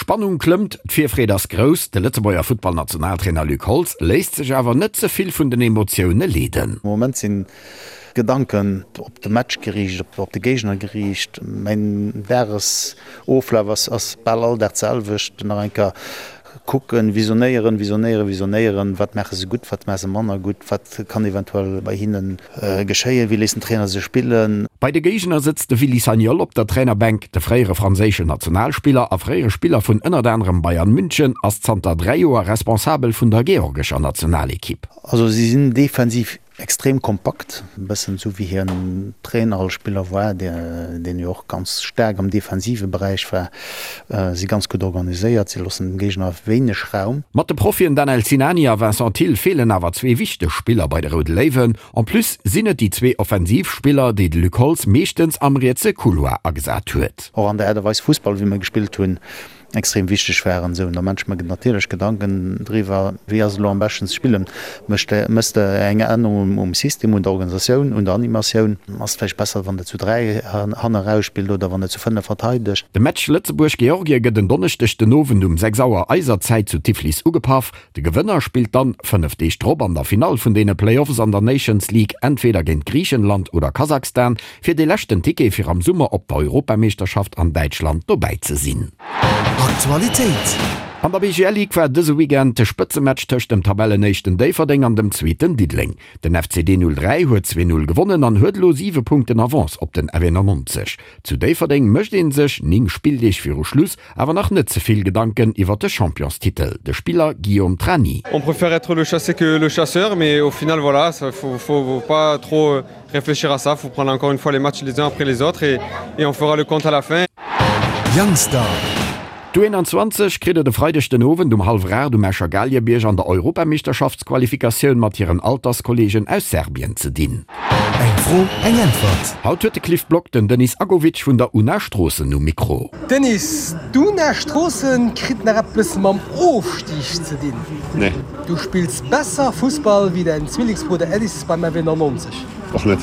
D'Spannung klëmmt, d'Virfreed ass grouss. De Lëtzebuerger Futtballnationaltrainer Luc Holtz léisst sech awer net ze vill vun den Emotioune leeden. Am Moment sinn d'Gedanken op de Match geriicht, op de Géigner geriicht. Mäin Dagesoflaf ass bal all Dag d'selwecht. Nach eng Kéier Kucken, visionéieren, visionéieren, visionéieren, wat maache se gutt, wat maache se manner gutt, wat kann eventuell bei hinne geschéien, wéi léisst den Trainer se spillen. Bei de Géigner sëtzt de Willy Sagnol op der Trainerbänk. De fréiere franséischen Nationalspiller a fréiere Spiller vun ënnert anerem Bayern München ass zanter 3 Joer Responsabel vun der georgescher Nationalekipp. Also si sinn defensiv Extrem kompakt, e bëssen esou wéi hien Trainer als Spiller war, deen jo och ganz staark am defensive Beräich war. Si ganz gutt organiséiert, si loossen dem Géigner wéineg Raum. Mat de Profien Danel Sinani a Vincent Thill feelen awer zwee wichteg Spiller bei de Roude Léiwen. En plus sinn et déi zwee offensiv Spiller, déi de Luc Holtz meeschtens am rietse Couloir agesat huet. Och an der Aart a Weis Fussball wéi mer gespillt hunn, extrem wichteg waren. Esou, da maache ech mer natierlech Gedanken driwwer, wéi ass et elo am beschten ze spillen. Mécht de, méchs de eng Ännerung um System, un der Organisatioun, un der Animatioun? Ass et vläicht besser, wann de zu 3 hanne erausspillt oder wann de zu 5 verteidegt? De Match Lëtzebuerg-Georgien gëtt en Donneschdeg den Owend um 6 Auer eiser Zäit zu Tiflis ugepaff. De Gewënner spillt dann 5 Deeg drop an der Finall vun deene Playoffs an der Nations League entweder géint Griichenland oder Kasachstan. Fir dee leschten Ticket fir am Summer op der Europameeschterschaft an Däitschland dobäi ze sinn. Aktualitéit. An der BGL Ligue war dëse Weekend de Spëtzematch tëscht dem Tabellenéischten Déifferdeng an dem Zweeten Diddeleng. Den FCD 03 huet 2, 0 gewonnen an huet elo 7 Punkten Avance op den FE99. Zu Déifferdeng mécht ee sech, 9 Spilldeeg viru Schluss, awer nach net ze vill Gedanken iwwer de Championstitel. De Spiller Guillaume Trani. On préfère être le chassé que le chasseur mais au final voilà, faut faut pas trop Réfléchir à ça, faut prendre encore une fois les matchs les uns après les autres et, et on fera le compte à la fin. Youngstar. D'U21 kritt et e Freideg den Owend um hallwer 8 um Escher Galiebierg an der Europameeschterschaftsqualifikatioun mat hiren Alterskolleegen aus Serbien ze dinn. Eng Fro, eng Äntwert. Haut huet de Cliff Block den Denis Agovic vun der Una Stroossen um Mikro. Denis, d'Una Stroossen kritt nach eppes mam Ofstig ze dinn. Nee. Du spills besser Fussball wéi däin Zwillingsbrudder Edis beim FW 99. Och net.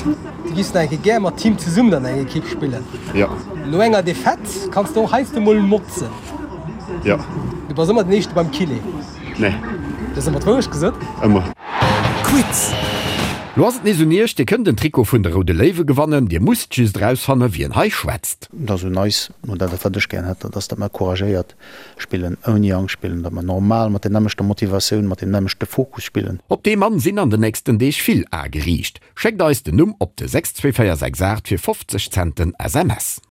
Du giffs nach eng Kéier gär mat him zesummen an enger Ekipp spillen. Jo. No enger Defaite kanns de och heiansdo mol motzen. Jo. Du bass ëmmer den Éischte beim Kiné. Nee. Du hues ëmmer d'Wourecht gesot. Ëmmer. Quiz. Lo ass et nees un iech, Dir kënnt en Trikot vun de Roude Léiwe gewannen. Dir musst just erausfanne wien hei schwätzt. Et ass un eis, oder dat wat ech gären hätt, dat ass, datt mer couragéiert spillen, ouni Angscht spillen, datt mer normal mat der nämmlechter Motivatioun, mat deem nämmlechte Fokus spillen. Op dee Mann sinn an den nächsten Deeg vill Ae geriicht. Schéckt eis den Numm op de 62468 fir 50 Cent den SMS.